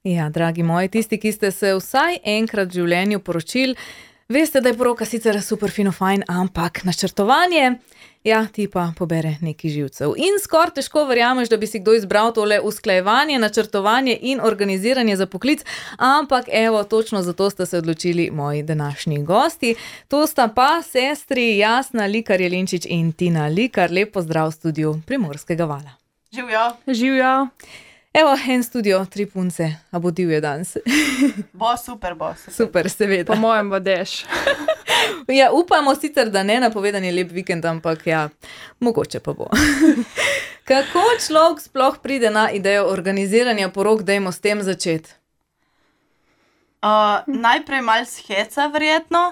Ja, dragi moji, tisti, ki ste se vsaj enkrat v življenju poročili, veste, da je poroka sicer super fino fajn, ampak načrtovanje, ja, ti pa pobere nekaj živcev. In skoraj težko verjameš, da bi si kdo izbral tole usklajevanje, načrtovanje in organiziranje za poklic, ampak evo, točno zato ste se odločili moji današnji gosti. To sta pa sestri Jasna Likar Jelinčič in Tina Likar. Lep pozdrav v studiu Primorskega vala. Živjo. Živjo. Evo, en studio, 3 punce, a bo divje danes. Bo super. Super, seveda. Po mojem bodeš. Ja, upamo sicer, da ne napovedan je lep vikend, ampak ja, mogoče pa bo. Kako človek sploh pride na idejo organiziranja porok, dajmo s tem začeti? Najprej malo heca, verjetno.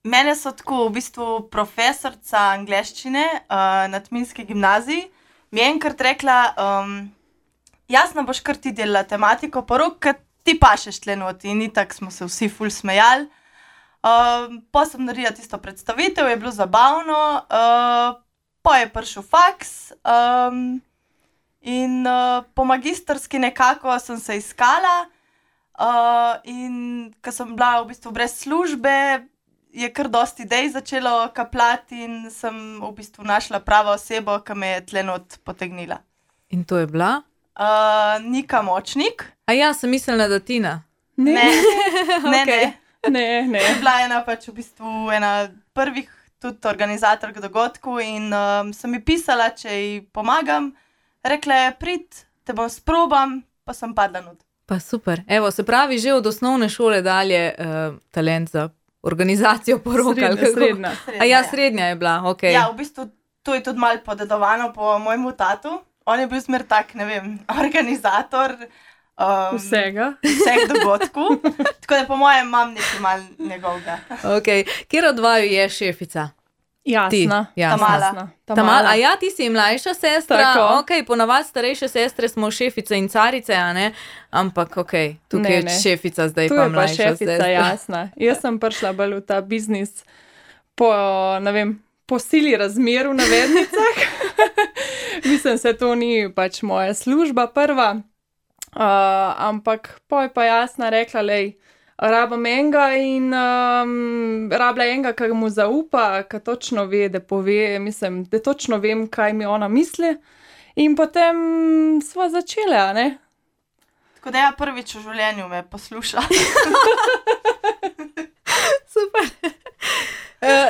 Mene so tako v bistvu profesorca angleščine na Tminski gimnaziji. Mi je enkrat rekla, Jasna, boš kar ti delala tematiko porok, ker ti pašeš tle not. In itak smo se vsi ful smejali. Po sem naredila tisto predstavitev, je bilo zabavno, po je prišel faks in po magistrski nekako sem se iskala in ko sem bila v bistvu brez službe, je kar dosti idej začelo kapljati in sem v bistvu našla pravo osebo, ki me je tle not potegnila. In to je bila? Nika Močnik. A ja, sem mislila, da Tina. Ne. Ne. Je bila ena pač v bistvu ena prvih tudi organizatork dogodkov in sem mi pisala, če ji pomagam. Rekla je, prid, te bom sprobam, pa sem padla not. Pa super. Evo, se pravi, že od osnovne šole dalje talent za organizacijo porok. Srednja. A ja, srednja je bila, okej. Ja, v bistvu to je tudi malo podedovano po mojemu tatu. On je bil smer tak, ne vem, organizator vseh dogodkov. Tako da po mojem imam nekaj malo njegovega. Okej. Kjer od vaju je šefica? Jasna. Tamala. A ja, ti si mlajša sestra. Tako. Okej, ponavadi starejše sestre smo šefice in carice, a ne? Ampak okej, tukaj je šefica, zdaj pa mlajša sestra. Tu je pa šefica Jasna. Jaz sem prišla bolj v ta biznis po, ne vem, po sili razmer v navednicah. Mislim, se to ni pač moja služba prva. Ampak po je pa Jasna rekla, lej, rabam enega in rabla enega, ki mu zaupa, ki točno ve, da pove, mislim, da točno vem, kaj mi ona misli. In potem sva začela, ne? Tako da ja, prvič v življenju me posluša. Super.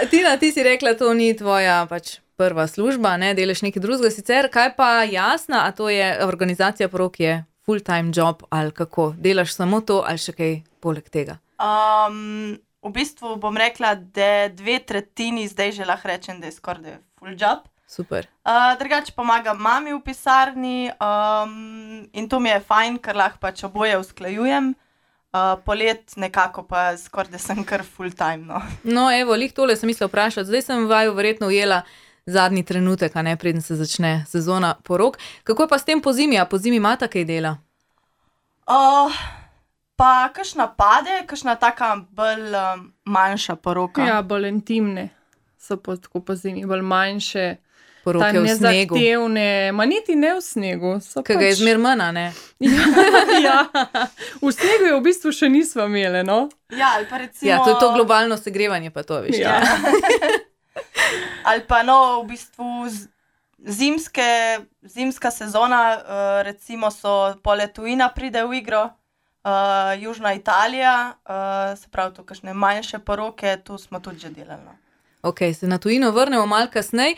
Tina, ti si rekla, to ni tvoja pač prva služba, ne, delaš nekaj drugega. Sicer, kaj pa Jasna, a to je organizacija porok, je full-time job ali kako? Delaš samo to ali še kaj poleg tega? V bistvu bom rekla, da 2/3 zdaj že lahko rečem, da je skoraj da je full job. Super. Drugače pomagam mami v pisarni in to mi je fajn, ker lahko pač oboje usklajujem. Polet nekako pa skoraj da sem kar full time, no. No, evo, lih tole sem mislila vprašati. Zdaj sem vaju verjetno ujela zadnji trenutek, a ne, preden se začne sezona porok. Kako je pa s tem pozimi? A pozimi imata kaj dela? Pa kakšna pade, kakšna taka bolj manjša poroka. Ja, bolj intimne so tako po zimi, bolj manjše. Poroke v snegu. Nezahtevne, ma niti ne v snegu. Kaj ga je zmer manj, ne? Ja, v snegu je v bistvu še nismo imeli, no. Ja, ali pa recimo... Ja, to je to globalno segrevanje, pa to, veš. Ja. Ali pa no, v bistvu zimska sezona, recimo so poleg tujina pride v igro, Južna Italija, se pravi to kakšne manjše poroke, tu smo tudi že delali, no. Okej, se na tujino vrnemo malo kasneje.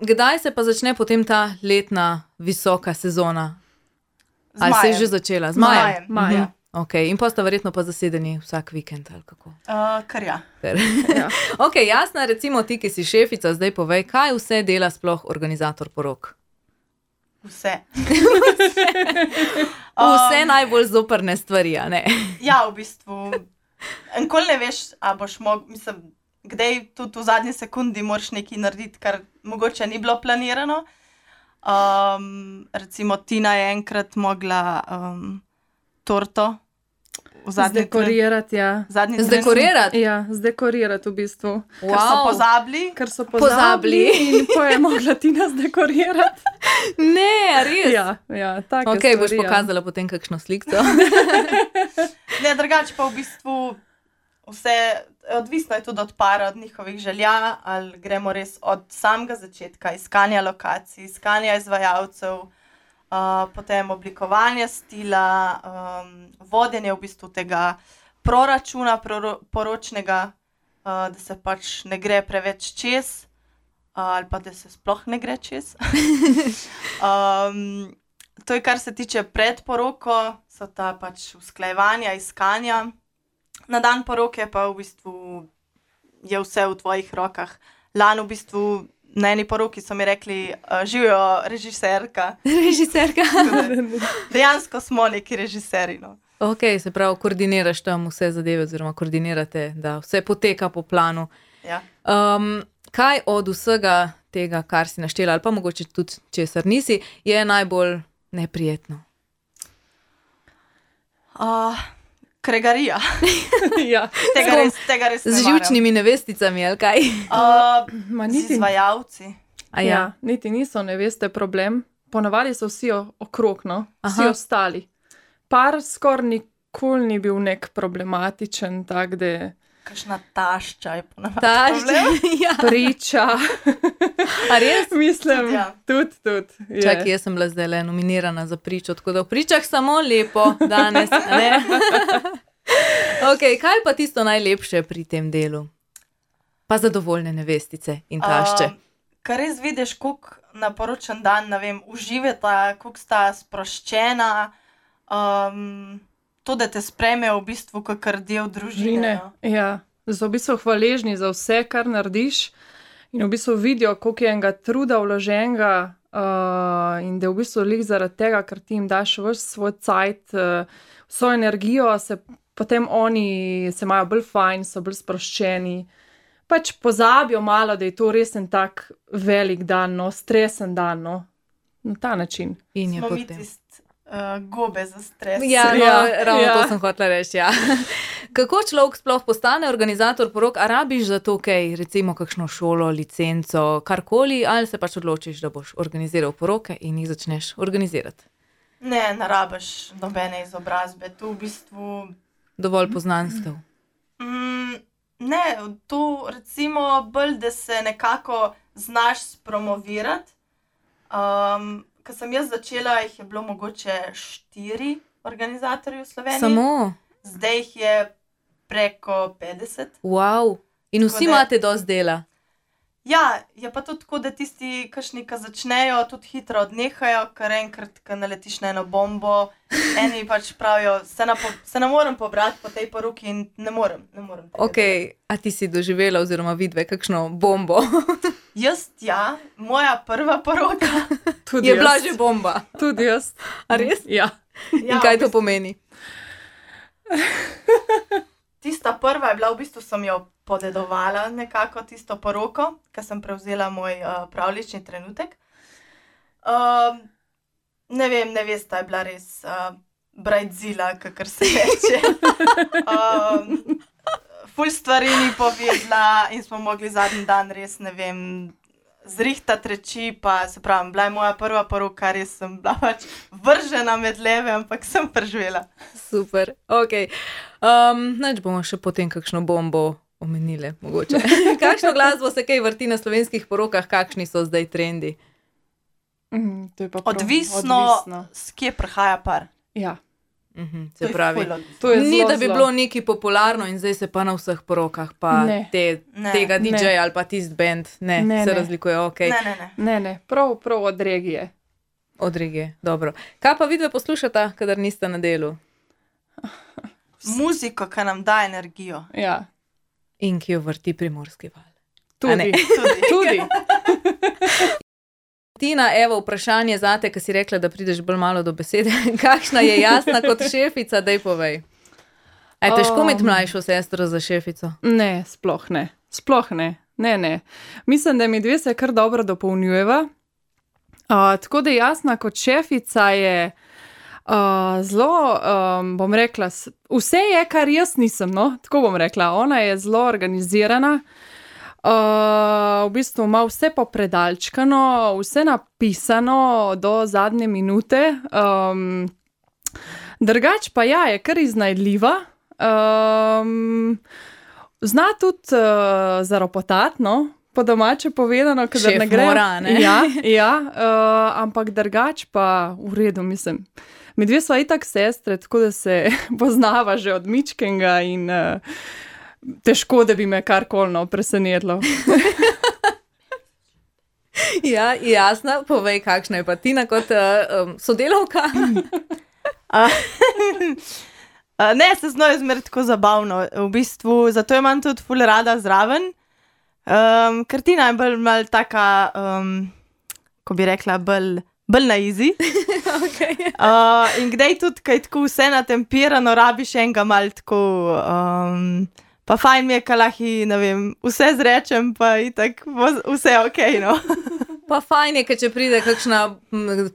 Kdaj se pa začne potem ta letna visoka sezona? Ali se je že začela? Z majem? Maja. Okej, in pa sta verjetno pa zasedeni vsak vikend ali kako? Kar ja. Ja. Okej, Jasna, recimo ti, ki si šefica, zdaj povej, kaj vse dela sploh organizator porok? Vse. Vse najbolj zoprne stvari, a ne? Ja, v bistvu. Enkoli ne veš, a boš mislim, kdaj tudi v zadnji sekundi moraš nekaj narediti, kar mogoče ni bilo planirano. Recimo Tina je enkrat mogla torto Zdekorirati, ja. Zdekorirati? Ja, zdekorirati v bistvu. Ker so pozabili. Ker so pozabili in potem je mogla Tina zdekorirati. Ne, res. Ja, tako je. Ok, boš pokazala potem kakšno sliko. Ne, drugače pa v bistvu vse, odvisno je tudi od para, od njihovih želja, ali gremo res od samega začetka, iskanja lokacij, iskanja izvajalcev, potem oblikovanja stila, vodenje v bistvu tega proračuna poročnega, da se pač ne gre preveč čez, ali pa da se sploh ne gre čez. To je, kar se tiče pred poroko, so ta pač usklajevanja, iskanja. Na dan poroke pa v bistvu je vse v tvojih rokah. Lani v bistvu na eni poroki so mi rekli, živijo režiserka. Režiserka. Dejansko smo neki režiserji, no. Ok, se pravi, koordiniraš tam vse zadeve, oziroma koordinirate, da vse poteka po planu. Ja. Kaj od vsega tega, kar si naštela, ali pa mogoče tudi česar nisi, je najbolj neprijetno? Kregarija. Ja. Tega res ne Z živčnimi nevesticami, ali kaj? Z izvajalci. Ja, niti niso neveste problem. Ponavadi so vsi okrog, no. Vsi ostali. Par skoraj nikoli ni bil nek problematičen, tak, da... Kakšna tašča je ponavadi problem. Ja. Priča. A res? Mislim, Ja. tudi. Čakaj, jaz sem bila zdaj nominirana za pričo, tako da v pričah samo lepo danes, ne? Ok, kaj pa tisto najlepše pri tem delu? Pa zadovoljne nevestice in tašče. Kar res vidiš, koliko na poročen dan, ne vem, uživata, koliko sta sproščena, to, da te sprejmejo v bistvu kakor del družine. No? Ja, so v bistvu hvaležni za vse, kar narediš in v bistvu vidijo, koliko je enega truda vloženega in da v bistvu lik zaradi tega, ker ti jim daš ves svoj cajt, vso energijo, se potem oni se imajo bolj fajn, so bolj sproščeni. Pač pozabijo malo, da je to res en tak velik dan, no, stresen dan, no, na ta način. In je Smo mi potem. gobe za stres. Ja, no, Ja, ravno ja. to sem hotela reči, ja. Kako človek sploh postane organizator porok? A rabiš za to kaj, recimo kakšno šolo, licenco, karkoli, ali se pač odločiš, da boš organiziral poroke in jih začneš organizirati? Ne rabiš nobene izobrazbe, tu v bistvu... Dovolj poznanstev. Ne, to recimo bolj, da se nekako znaš spromovirati. Ko sem jaz začela, jih je bilo mogoče 4 organizatorji v Sloveniji. Samo? Zdaj jih je preko 50. Wow. In vsi Tako da- imate dosti dela. Ja, je pa tudi tako, da tisti, kakšni, ki začnejo, tudi hitro odnehajo, ker enkrat, ko naletiš na eno bombo, eni pač pravijo, se ne morem pobrati po tej poroki in ne morem. Ok, a ti si doživela oziroma vidve kakšno bombo? Jaz, ja, moja prva poroka. Tudi Je jaz. bila že bomba. Tudi jaz. A res? Ja. In kaj to pomeni? Tista prva je bila, v bistvu sem jo podedovala nekako tisto poroko, ker sem prevzela moj pravljični trenutek. Ne vem, nevesta je bila res brajdzila, kakor se reče. Ful stvari ni povedala in smo mogli zadnji dan res, ne vem, zrihtati reči, pa se pravim, bila je moja prva poroka, res sem bila pač vržena med leve, ampak sem preživela. Super, ok. Neč bomo še potem kakšno bombo omenile, mogoče. Kakšno glasbo se kaj vrti na slovenskih porokah, kakšni so zdaj trendi? To je pa prav Odvisno, s kje prihaja par. Ja. Se pravi, ful odvisno. To je ni, zelo, da bi zelo. bilo nekaj popularno in zdaj se pa na vseh porokah, pa Ne. Ne. tega Ne. DJ ali pa tist band, ne, Ne, se ne. razlikuje, ok. Ne. Prav od regije. Od regije, dobro. Kaj pa vidve poslušata, kadar nista na delu? Muziko, ki nam da energijo. Ja. In ki jo vrti Primorski val. A ne? Tudi. Tina, evo vprašanje zate, ki si rekla, da prideš bolj malo do besede. Kakšna je Jasna kot šefica, daj povej. A je težko imeti mlajšo sestro za šefico? Ne, sploh ne. Sploh ne. Ne. Mislim, da mi dve se kar dobro dopolnjujeva. Tako da Jasna kot šefica je Zelo, bom rekla, vse je, kar jaz nisem, no, tako bom rekla. Ona je zelo organizirana, v bistvu ima vse popredalčkano, vse napisano do zadnje minute. Drugač pa ja, je kar iznajdljiva. Zna tudi zaropotati, no, po domače povedano, kadar Šef ne gre. mora, ne? Ja, ampak drugač pa v redu, mislim. Mi dve sva itak sestre, tako da se poznava že od mičkenga in težko, da bi me karkoli presenetilo. Ja, jasno, povej, kakšna je pa Tina kot sodelavka. Ne, se z njo je zmer tako zabavno. V bistvu, zato jo imam tudi ful rada zraven. Ker Tina je bolj mal taka, ko bi rekla, bolj na easy. Okay. In kdaj tudi, kaj tako vse natempirano, rabiš enega mal tako, pa fajn mi je, ka lahko, ne vem, vse zrečem, pa itak vse okej, no. Pa fajn je, ker če pride kakšna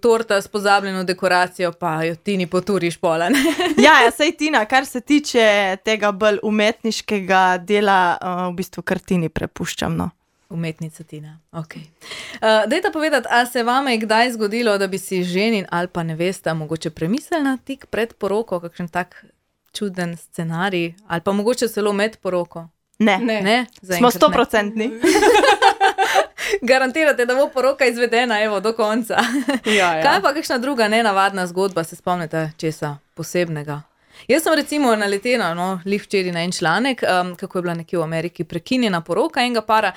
torta s pozabljeno dekoracijo, pa jo Tini poturiš pola, ne? Ja, sej Tina, kar se tiče tega bolj umetniškega dela, v bistvu kar Tini prepuščam, no. Umetnica Tina, ok. Dajte povedati, a se vama je kdaj zgodilo, da bi si ženin ali pa nevesta mogoče premislila tik pred poroko, kakšen tak čuden scenarij, ali pa mogoče celo med poroko? Ne, Ne? smo Zaenkrat ne. 100%. Garantirate, da bo poroka izvedena, evo, do konca. Ja. Kaj pa kakšna druga nenavadna zgodba, se spomnite česa posebnega? Jaz sem recimo naletela, lih včeraj na en članek, kako je bila nekje v Ameriki prekinjena poroka enega para,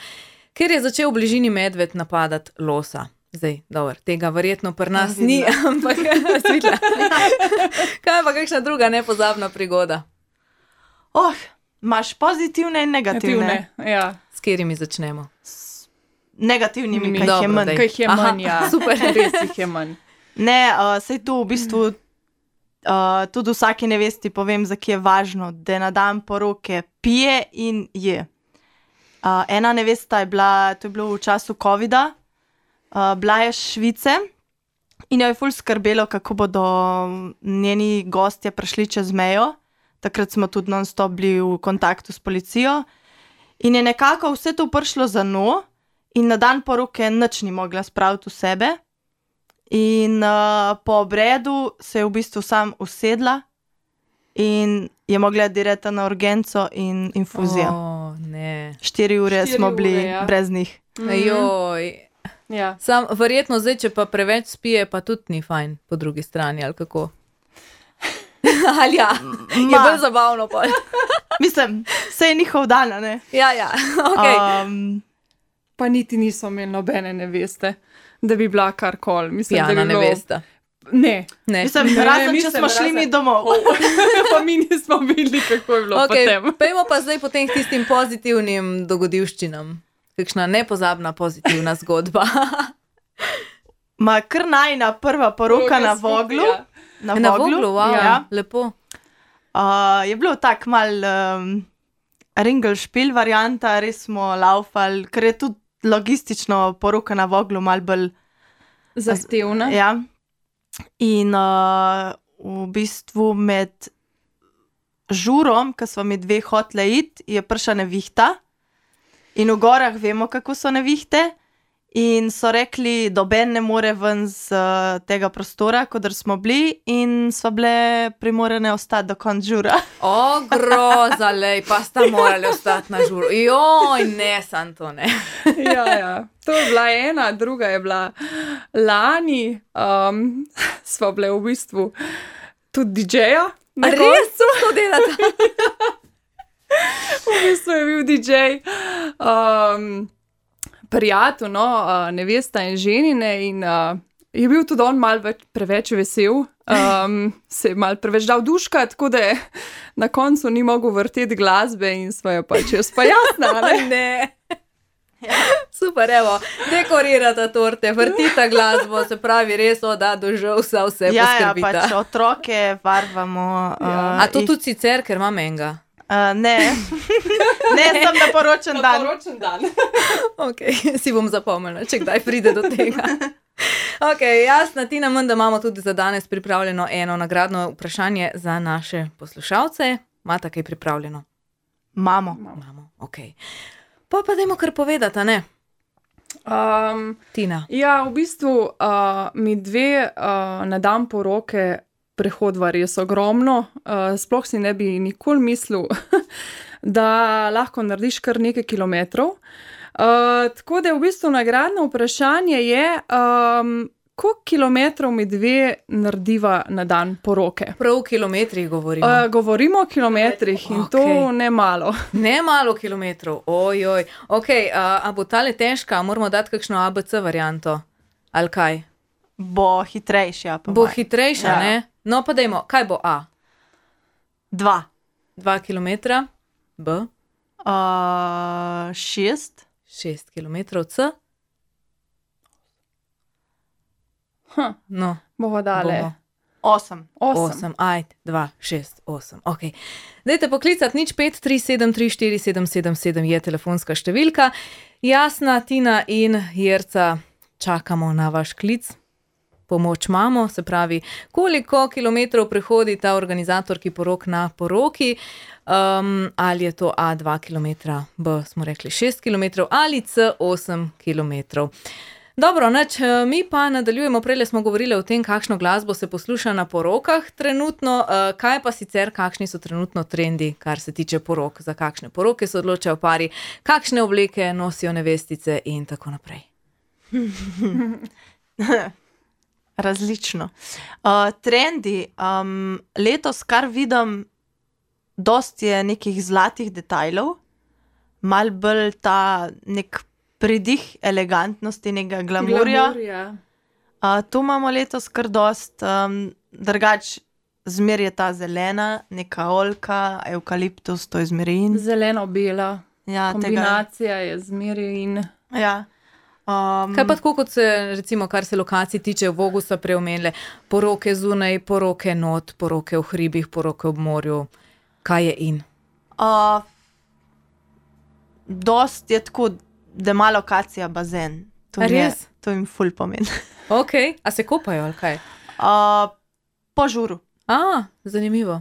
ker je začel v bližini medved napadati losa. Zdaj, dobro, tega verjetno pri nas ni, ampak svidla. Kaj pa kakšna druga nepozabna prigoda? Imaš pozitivne in negativne. Ja. S katerimi začnemo? Negativnimi, kaj jih je Dobro, manj. daj. Kaj jih je Aha, manj, ja. super. Res jih je manj. Ne, sej tu v bistvu tudi vsaki nevesti povem, za ki je važno, da na dan poroke pije in je. Ena nevesta je bila, to je bilo v času covida, bila je iz Švice in jo je ful skrbelo, kako bodo njeni gostje prišli čez mejo. Takrat smo tudi non-stop bili v kontaktu s policijo in je nekako vse to prišlo za njo in na dan poroke nič ni mogla spraviti v sebe. In po obredu se je v bistvu sam usedla in je mogla direta na urgenco in infuzijo. Ne. 4 ure 4 smo ure, bili ja. brez njih. Joj. Ja. Sam verjetno zdaj, če pa preveč spije, pa tudi ni fajn po drugi strani, ali kako? Ali ja, je Ma. bolj zabavno pol. Mislim, vse je njihov dan, a ne? Ja, ok. Pa niti niso imeli nobene neveste, da bi bila karkoli. Mislim, da Pijana bi bilo... nevesta. Ne. Ne. Mislim, Ne, razen, če mislim, smo šli razen- mi domov. Pa mi nismo videli, kako je bilo potem. Ok, pejmo pa zdaj potem k tistim pozitivnim dogodivščinam. Kakšna nepozabna pozitivna zgodba. Ma kar najna prva poroka na Voglu. Ja. Na Voglu, wow, Ja. lepo. Je bilo tak mal ringelšpil varianta, res smo laufali, ker je tudi logistično poroka na Voglu mal bolj. Zahtevna. Ja. In v bistvu med žurom, ko smo mi dve hotele iti, je prišla nevihta. In v gorah vemo, kako so nevihte. In so rekli, doben ne more ven z tega prostora, kodr smo bili, in smo bile primorene ostati do konca žura. O, groza, lej, pa sta morali ostati na žuru. Joj, ne, sam to ne. Ja. To je bila ena, druga je bila lani. Smo bile v bistvu tudi DJ-ja. A res to delate? V bistvu je bil DJ. Prijatelj, nevesta in ženine in je bil tudi on malo preveč vesel, se je malo preveč dal duška, tako da je na koncu ni mogel vrteti glasbe in smo jo pač jaz pa jasna, ne? Ne. Super, evo, dekorirata torte, vrtita glasbo, se pravi res, da dožal vse Ja, poskrbita. pač otroke varvamo. A to tudi sicer, ker imam enega? Ne. Ne, sem na poročen dan. Poročen dan. Ok, si bom zapomnila, če kdaj pride do tega. Ok, jasna, Tina, da imamo tudi za danes pripravljeno eno nagradno vprašanje za naše poslušalce. Imate kaj pripravljeno? Imamo. Ok. Pa dajmo kar povedati, a ne? Tina. Ja, v bistvu mi dve na dan poroke prehodva res ogromno. Sploh si ne bi nikoli mislil, da lahko narediš kar nekaj kilometrov. Tako da v bistvu nagradno vprašanje je, koliko kilometrov mi dve narediva na dan poroke? Prav v kilometrih govorimo. Govorimo o kilometrih in to ne malo. Ne malo kilometrov, ojoj. Ok, a bo tale težka, moramo dati kakšno ABC varianto, ali kaj? Bo hitrejša. Bo hitrejša, ne? No pa dajmo, kaj bo A? 2 kilometra, B? 6 kilometrov, C? No, Bomo dali 8. Ajde, 2, 6, 8. Ok. Dajte poklicati 0537347777 je telefonska številka. Jasna, Tina in Jerca, čakamo na vaš klic. Pomoč imamo, se pravi, koliko kilometrov prehodi ta organizatorki porok na poroki, ali je to A 2 kilometra, B smo rekli 6 kilometrov ali C 8 kilometrov. Dobro, mi pa nadaljujemo, prejle smo govorili o tem, kakšno glasbo se posluša na porokah trenutno, kaj pa sicer, kakšni so trenutno trendi, kar se tiče porok, za kakšne poroke se odločajo pari, kakšne obleke nosijo nevestice in tako naprej. Različno. Trendi, letos kar vidim, dosti je nekih zlatih detajlov, mal bolj ta nek pridih elegantnosti, nekega glamurja. Tu imamo letos kar dost, drugač zmer je ta zelena, neka oljka, evkaliptus, to je zmerin. zeleno-bela. Ja, Kombinacija je zmeri in... Ja. Kaj pa tako, kot se, recimo, kar se lokacij tiče, v Vogusa preomenile, poroke zunaj, poroke not, poroke v hribih, poroke ob morju, kaj je in? Dost je tako, da ima lokacija bazen. Res? To jim ful pomeni. Ok, a se kopajo ali kaj? Po žuru. Zanimivo.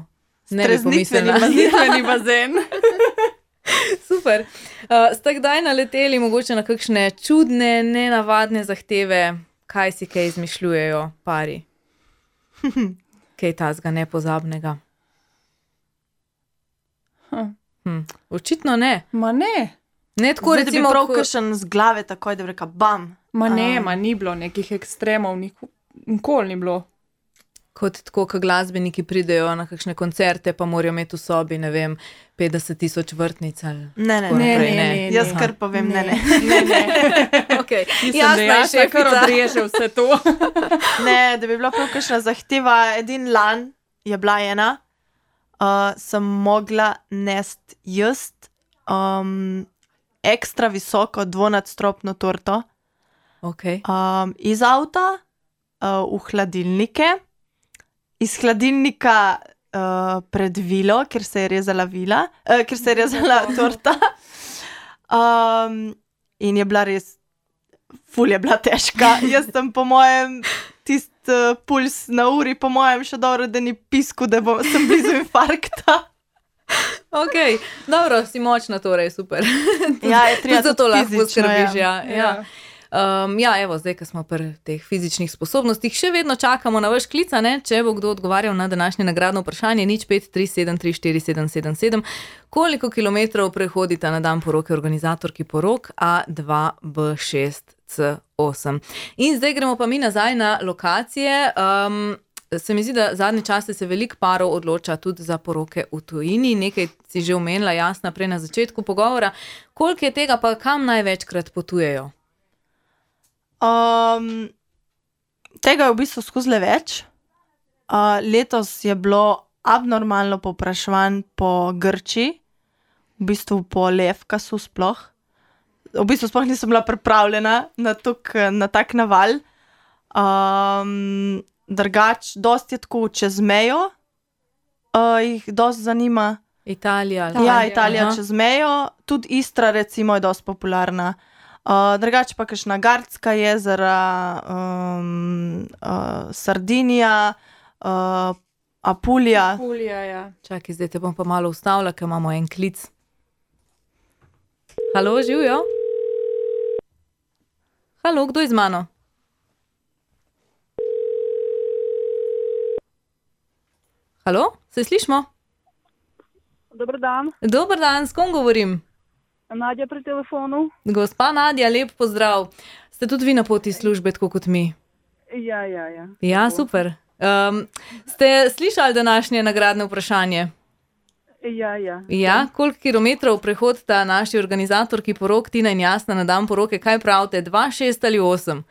Ne bi Streznitveni pomislila. bazen. Super. Ste kdaj naleteli mogoče na kakšne čudne, nenavadne zahteve, kaj si kaj izmišljujejo pari? Kaj tazga nepozabnega? Očitno ne. Ma ne. Ne tako, Zdaj, recimo, da bi prav kakšen z glave takoj, da bi rekel bam. Ni bilo nekih ekstremov, nikoli ni bilo. kot tako, ko glasbeniki pridejo na kakšne koncerte, pa morajo imeti v sobi, ne vem, 50,000 vrtnic ali tako naprej. Ne. Jaz kar povem, ne. Okay. Jasno, da je kar odreže vse to. Ne, da bi bila prav kakšna zahteva, edin lan je bila ena, sem mogla nest jest ekstra visoko dvonadstropno torto iz avta v hladilnike, iz hladilnika pred vilo, kjer se je rezala kjer se je rezala torta. In je bila res, ful je bila težka. Jaz sem po mojem puls na uri, po mojem še dobro, da ni pisku, da sem blizu infarkta. Ok, dobro, si močna torej, super. Ja, je treba za to lahko fizično, poskrbiš, ja. Evo, zdaj, ko smo pri teh fizičnih sposobnostih, še vedno čakamo na vaš klic, ne? Če bo kdo odgovarjal na današnje nagradno vprašanje, 0537347777, koliko kilometrov prehodita na dan poroke organizatorki porok A2B6C8. In zdaj gremo pa mi nazaj na lokacije. Se mi zdi, da zadnje čase se veliko parov odloča tudi za poroke v tujini. Nekaj si že omenila, Jasna, prej na začetku pogovora. Koliko je tega, pa kam največkrat potujejo? Tega je v bistvu skozi več. Letos je bilo abnormalno povpraševanj po Grčiji, v bistvu po Lefkasu sploh. V bistvu sploh nisem bila pripravljena na tak naval. Drugač, dosti je tako čez mejo, jih dosti zanima. Italija. Ja, Italija čez mejo, tudi Istra recimo je dosti popularna. Drugače pa kakšna Gardska jezera, Sardinija, Apulija. Pulja, ja. Čakaj, zdaj te bom pa malo ustavila, ker imamo en klic. Halo, živijo? Halo, kdo je z mano? Halo, se slišimo? Dober dan, Dober dan, s kom govorim? Nadja pri telefonu. Gospa Nadja, lep pozdrav. Ste tudi vi na poti iz službe, tako kot mi? Ja. Ja, super. Ste slišali današnje nagradne vprašanje? Ja. Ja, koliko kilometrov prehodita naši organizatorki porok Tina in Jasna na dan poroke? Kaj pravite, 2, 6 ali 8?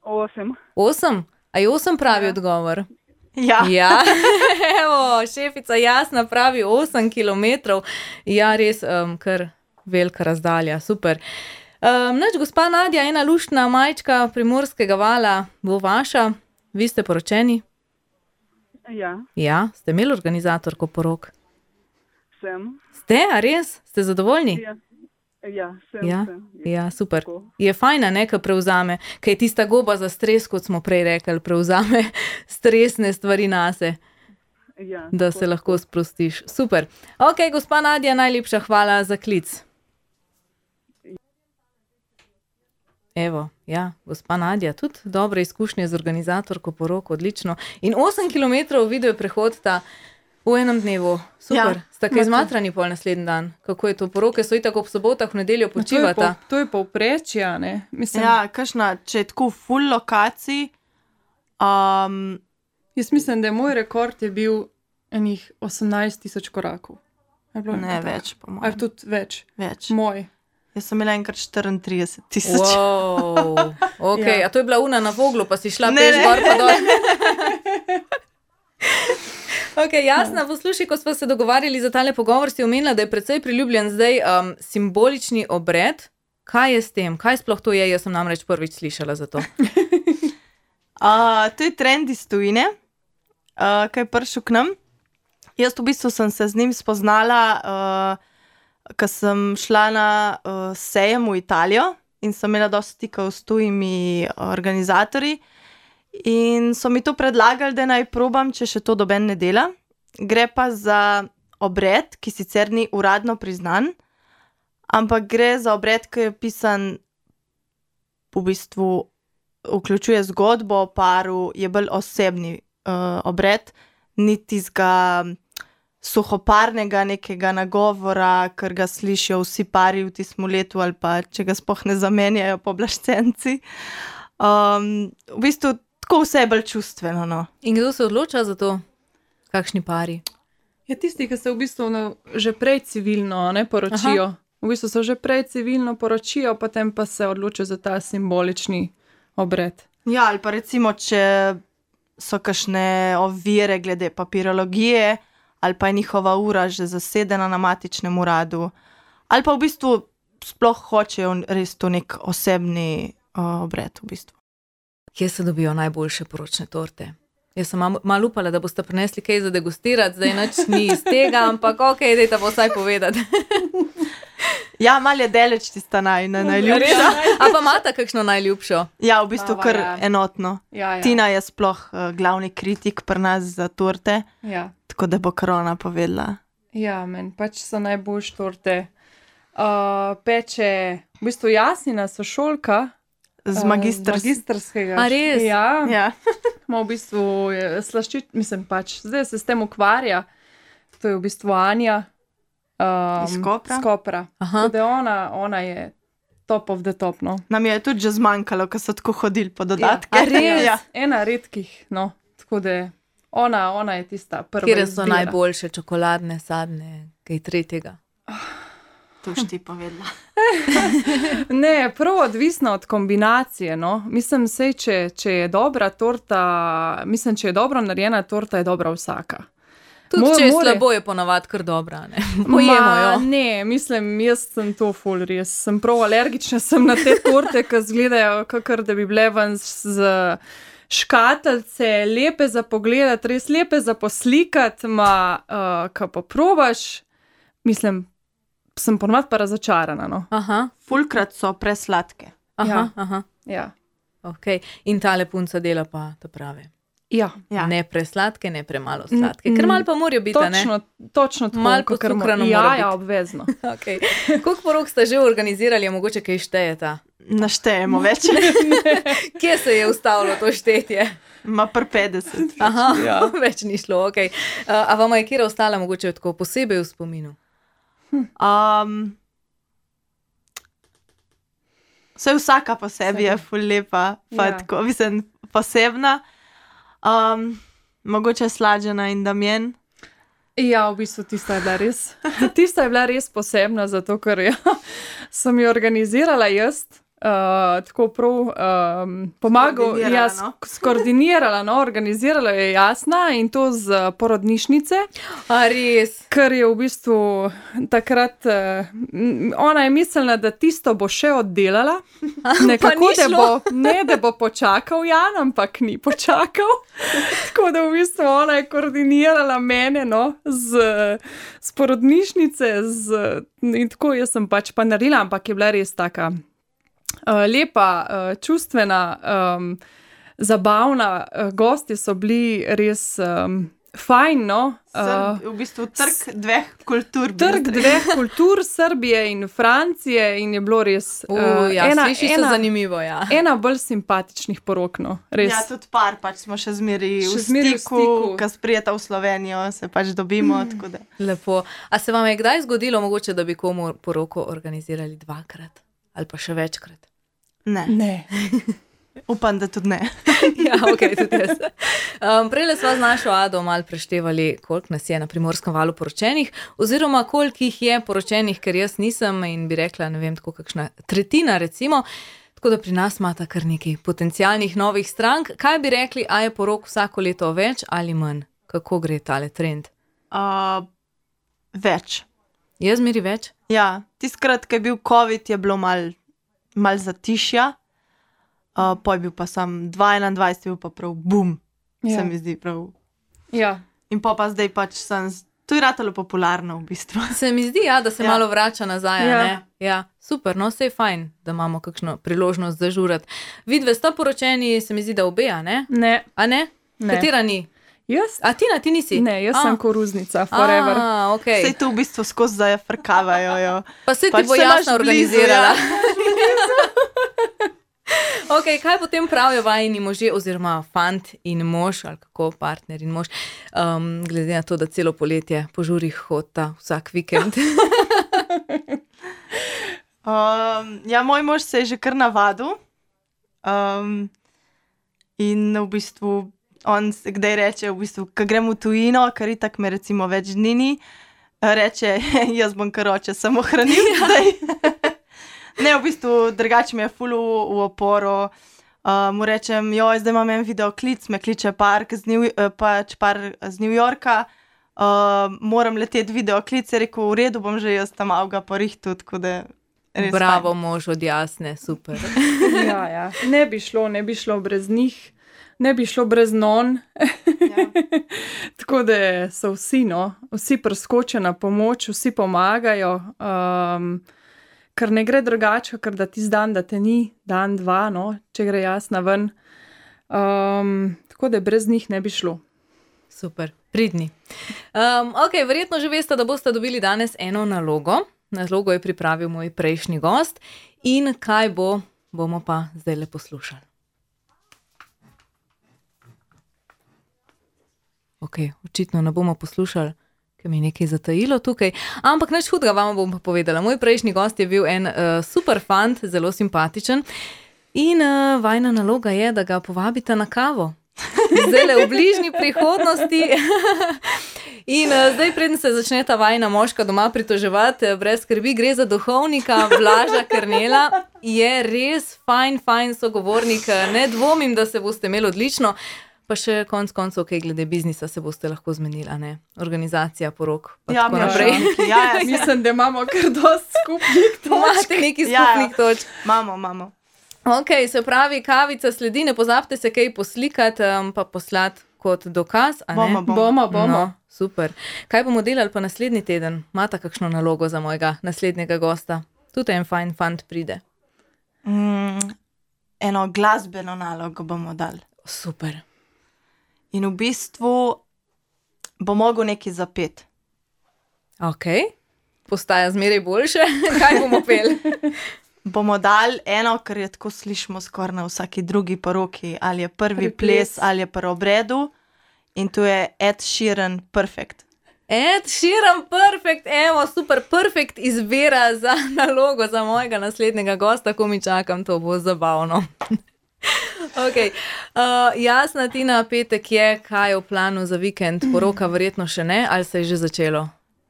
8. 8? A je 8 pravi odgovor? Ja. Ja, evo, šefica Jasna pravi 8 kilometrov. Ja, res, kar velika razdalja, super. Nač, gospa Nadja, ena luštna majčka Primorskega vala bo vaša. Vi ste poročeni? Ja, Ja, ste imeli organizatorko porok? sem. Ste, a res? Ste zadovoljni? Sem. Ja, super. Tako. Je fajna, ne, ko prevzame, ker je tista goba za stres, kot smo prej rekli, prevzame stresne stvari nase, Ja, da se lahko sprostiš. Super. Ok, gospa Nadja, najlepša hvala za klic. Evo, ja, gospa Nadja, tudi dobre izkušnje z organizatorko porok, odlično. In 8 kilometrov video prehodita v enem dnevu. Super. Ja. Sta kaj zmatrani pol naslednji dan? Kako je to? Poroke so itak ob sobotah, v nedeljo počivata. To je povprečje, ne? Mislim, Ja, kakšna, če je tako full lokacij, Jaz mislim, da je moj rekord je bil enih 18.000 korakov. Je bilo ne nekaj več, po takega? mojem. Ali tudi več. Več. Moj. Jaz sem imela enkrat 34 000. Wow, ok, Ja. a to je bila una na Voglu, pa si šla Ne, peš ne. gor pa dol. Ok, Jasna, poslušaj, ko smo se dogovarjali za tale pogovor, si omenila, da je precej priljubljen zdaj simbolični obred. Kaj je s tem? Kaj sploh to je? Jaz sem namreč prvič slišala za to. To je trend iz tujine, ki je prišel k nam. Jaz v bistvu sem se z njim spoznala, ko sem šla na sejem v Italijo in sem imela dosti stikov s tujimi organizatorji. In so mi to predlagali, da naj probam, če še to doben ne dela. Gre pa za obred, ki sicer ni uradno priznan, ampak gre za obred, ki je pisan, v bistvu vključuje zgodbo o paru, je bolj osebni obred, ni tistega suhoparnega nekega nagovora, ker ga slišijo vsi pari v tistem letu ali pa če ga sploh ne zamenjajo pooblaščenci. V bistvu tako vse je bolj čustveno, no. In kdo se odloča za to? Kakšni pari? Ja, tisti, ki se v bistvu že prej civilno ne poročijo. V bistvu se že prej civilno poročijo, potem pa se odločijo za ta simbolični obred. Ja, ali pa recimo, če so kakšne ovire glede papirologije, ali pa je njihova ura že zasedena na matičnem uradu, ali pa v bistvu sploh hočejo res to nek osebni obred v bistvu. Kje se dobijo najboljše poročne torte? Jaz sem malo upala, da boste prinesli kaj za degustirati, zdaj nič ni iz tega, ampak ok, dajte pa vsaj povedati. Ja, malo je daleč tista najljubša. A pa imata kakšno najljubšo? Ja, v bistvu Baba, kar ja. enotno. Ja. Tina je sploh glavni kritik pri nas za torte, Ja. tako da bo korona povedala. Ja, meni pač so najboljše torte. Peče, v bistvu Jasnina sošolka. Z z magistrskega. A res? Ja, Ja. ima v bistvu slaščič, mislim pač, zdaj se s tem ukvarja. To je v bistvu Anja. Iz Kopra? Iz Kopra. Aha. Tako da ona je top of the top, no. Nam je tudi že zmanjkalo, ko so tako hodili po dodatke. A res? Ja. Ena redkih, no. Tako da ona je tista prva. Kje so izbira. najboljše čokoladne, sadne, kaj tretjega? To boš ti povedala. Ne, prav odvisno od kombinacije, no. Mislim, sej, če je dobra torta, mislim, če je dobro narejena torta, je dobra vsaka. Tudi če je slabo, je ponavadi kar dobra, ne? Pojemo jo. Ne, mislim, jaz sem to ful res. Sem prav alergična sem na te torte, ki izgledajo, kakor da bi bile ven z škatlice, lepe za pogledati, res lepe za poslikati, ko pa probaš, mislim, sem ponovadi pa razočarana. No. Aha, Fulkrat so presladke. aha, Ja. aha. Ja. Okay. In tale punca dela pa to prave. Ja. Ja. Ne presladke, ne premalo sladke. Ker malo pa morajo biti, a ne? Točno tako. Malo kakor pocukrano ja, mora biti. ja, obvezno. Okay. Koliko porok ste že organizirali, a mogoče kaj štejeta? Naštejemo več. Kje se je ustavilo to štetje? Ma pr 50. Aha, Ja. več ni šlo, ok. A vama je kjera ostala mogoče tako posebej v spominu? Vse vsaka po sebi je ful lepa, pa Ja. tako, mislim, posebna. Mogoče Slađena in Damjen. Ja, v bistvu tista je bila res posebna, zato ker sem jo organizirala jaz, tako prav pomagal, Skoordinirala, no. skoordinirala, no, organizirala je Jasna in to z porodnišnice, A res? ker je v bistvu takrat, ona je mislila, da tisto bo še oddelala, nekako, ni šlo. da bo počakal Jan, ampak ni počakal. Tako da v bistvu ona je koordinirala mene, no, z porodnišnice, in tako jaz sem pač pa naredila, ampak je bila res taka lepa, čustvena, zabavna, gostje so bili res fajn, no. V bistvu trg dveh kultur. bi Trg jaz rekla. dveh kultur, Srbije in Francije, in je bilo res Ja, sliši se zanimivo, ja. ena bolj simpatičnih porok, no, res. Ja, tudi par, pač smo še zmeri Še v zmeraj v stiku, stiku. ko sprijeta v Slovenijo, se pač dobimo, tako da. Lepo. A se vam je kdaj zgodilo mogoče, da bi komu poroko organizirali dvakrat? Ali pa še večkrat? Ne, Ne. upam, da tudi ne. Ja, ok, tudi jaz. Prejle sva z našo Ado malo preštevali, koliko nas je na Primorskem valu poročenih, oziroma koliko jih je poročenih, ker jaz nisem in bi rekla, ne vem, tako kakšna tretjina recimo, tako da pri nas imata kar nekaj potencialnih novih strank. Kaj bi rekli, a je porok vsako leto več ali manj? Kako gre tale trend? Več. Je zmeri več? Ja, tiskrat, ko je bil COVID, je bilo mal zatišja, po je bil pa sam 2021, je bil pa prav bum, Ja. se mi zdi prav. Ja. In pa zdaj pač to je ratalo popularno v bistvu. Se mi zdi, ja, da se Ja. malo vrača nazaj, a Ja. ne? Ja, super, no, sej fajn, da imamo kakšno priložnost zažurati. Vidve sta poročeni, se mi zdi, da obe, a ne? Ne. A ne? Ne. Katera ni? Jaz? A Tina, ti nisi? Ne, jaz sem koruznica, forever. Okay. Sej to v bistvu skozi zafrkavajo. Jo. Pa se ti Pač bo se imaš jasno blizu, organizirala. ja. Okay, kaj potem pravijo vajini možje, oziroma fant in mož, ali kako partner in mož, glede na to, da celo poletje po žurih hodita vsak vikend. Ja, moj mož se je že kar navadil. In v bistvu on kdaj reče, v bistvu, ko gremo v tujino, kar itak me recimo več dni ni, reče, jaz bom kar oče samo hranil zdaj. Ne, v bistvu drugače mi je ful v oporo. Mu rečem, joj, zdaj imam en videoklic, me kliče par z New Yorka, moram leteti videoklic, je rekel, v redu, bom že jaz tam avga porihtu, tako da res Bravo, fajn. mož od Jasne, super. Ja, ja. Ne bi šlo brez njih, ne bi šlo brez non. Ja. Tako da so vsi, no, vsi preskočijo na pomoč, vsi pomagajo, ker ne gre drugače, ker da tisti dan, da te ni, dan, dva, no, če gre Jasna ven. Tako da brez njih ne bi šlo. Super, pridni. Ok, verjetno že veste, da boste dobili danes eno nalogo. Nalogo je pripravil moj prejšnji gost in kaj bo, bomo pa zdaj le poslušali. Ok, očitno ne bomo poslušali, ker mi je nekaj zatajilo tukaj, ampak nič hudega vam bom pa povedala. Moj prejšnji gost je bil en super fant, zelo simpatičen in vajna naloga je, da ga povabite na kavo. Zdaj le v bližnji prihodnosti. In zdaj, preden se začne ta vajna moška doma pritoževati, brez skrbi, gre za duhovnika Blaža Kernela. Je res fajn sogovornik, ne dvomim, da se boste imeli odlično. Pa še konc koncev, kaj glede biznisa se boste lahko zmenili, a ne? Organizacija porok, pa tako naprej. Ja, Mislim, da imamo kar dosti skupnih točk. Imate nekaj skupnih točk. Imamo. Ok, se pravi, kavica sledi, ne pozabite se kaj poslikati, pa poslati kot dokaz, a ne? Bomo. No, Super. Kaj bomo delali pa naslednji teden? Mata kakšno nalogo za mojega naslednjega gosta? Tudi en fajn fant pride. Eno glasbeno nalogo bomo dali. Super. In v bistvu bo mogel nekaj zapeti. Ok. Postaja zmeraj boljše. Kaj bomo peli? Bomo dali eno, kar je tako slišimo skoraj na vsaki drugi poroki, ali je prvi ples, ali je pri obredu. In to je Ed Sheeran Perfect. Ed Sheeran Perfect, evo, super, perfect izbira za nalogo za mojega naslednjega gosta, ko mi čakam, to bo zabavno. Ok, Jasna, Tina, petek je, kaj je v planu za vikend, poroka verjetno še ne, ali se je že začelo?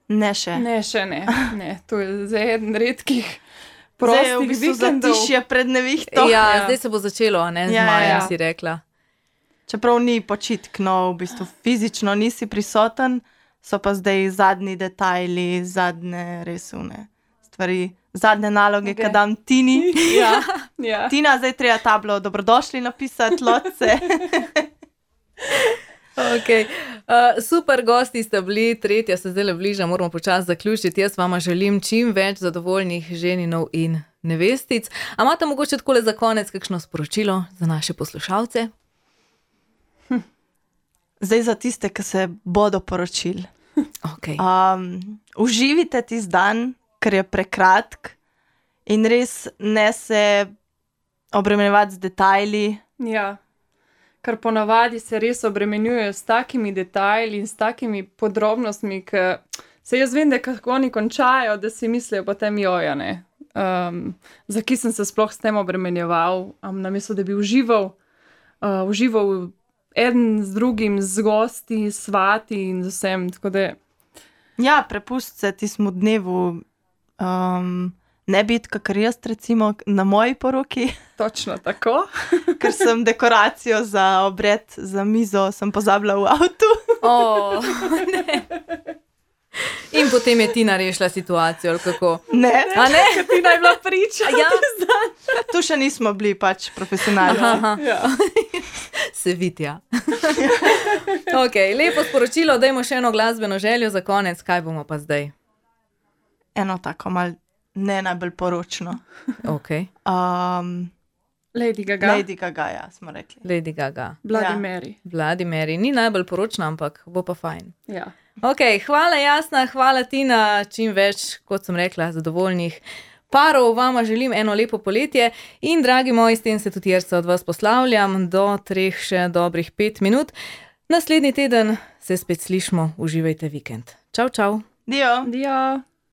Ne še. Ne, še ne. Ne, to je za eden redkih Zdaj je v prostih bistvu vikendov. zatišje pred nevihto. Ja, zdaj se bo začelo, a ne, z Ja, majem ja. si rekla. Čeprav ni počitk, no, v bistvu fizično nisi prisoten, so pa zdaj zadnji detajli, zadnje resune stvari, zadnje naloge, Ok. ki dam Tini. Ja, ja. Tina, zdaj treba tablo dobrodošli napisati, lotce. Okay. Super gosti ste bili, tretja se zdaj bliža, moramo počasi zaključiti. Jaz vama želim čim več zadovoljnih ženinov in nevestic. A imate mogoče takole za konec kakšno sporočilo za naše poslušalce? Zdaj za tiste, ki se bodo poročili. Okay. Uživite tisti dan, ker je prekratk in res ne se obremenjevati z detajli. Ja, ker ponavadi se res obremenjujejo s takimi detajli in s takimi podrobnostmi, ki se jaz vem, da kako oni končajo, da si mislijo potem jojane. Zakaj sem se sploh s tem obremenjeval, namesto da bi užival eden z drugim, z gosti, s svati in z vsem. Tako da Ja, prepust se tismu dnevu, ne biti, kakor jaz recimo na moji poroki, točno tako. ker sem dekoracijo za obred, za mizo, sem pozabila v avtu. Ne. In potem je Tina rešila situacijo, ali kako? Ne, A ne? Ti naj bila priča. Ja, tu še nismo bili pač profesionalni. aha, Ja. se vidja. Ok, lepo sporočilo, dajmo še eno glasbeno željo za konec, kaj bomo pa zdaj? Eno tako mal ne najbolj poročno. Ok, Lady Gaga. Lady Gaga, ja, smo rekli. Lady Gaga. Bloody Ja. Mary. Bloody Mary, ni najbolj poročna, ampak bo pa fajn. Ja. Ok, hvala Jasna, hvala Tina, čim več, kot sem rekla, zadovoljnih parov. Vama želim eno lepo poletje in dragi moji, s tem se tudi jaz od vas poslavljam do 3 še dobrih 5 minut. Naslednji teden se spet slišmo, uživajte vikend. Čau, čau. Dio. Dio.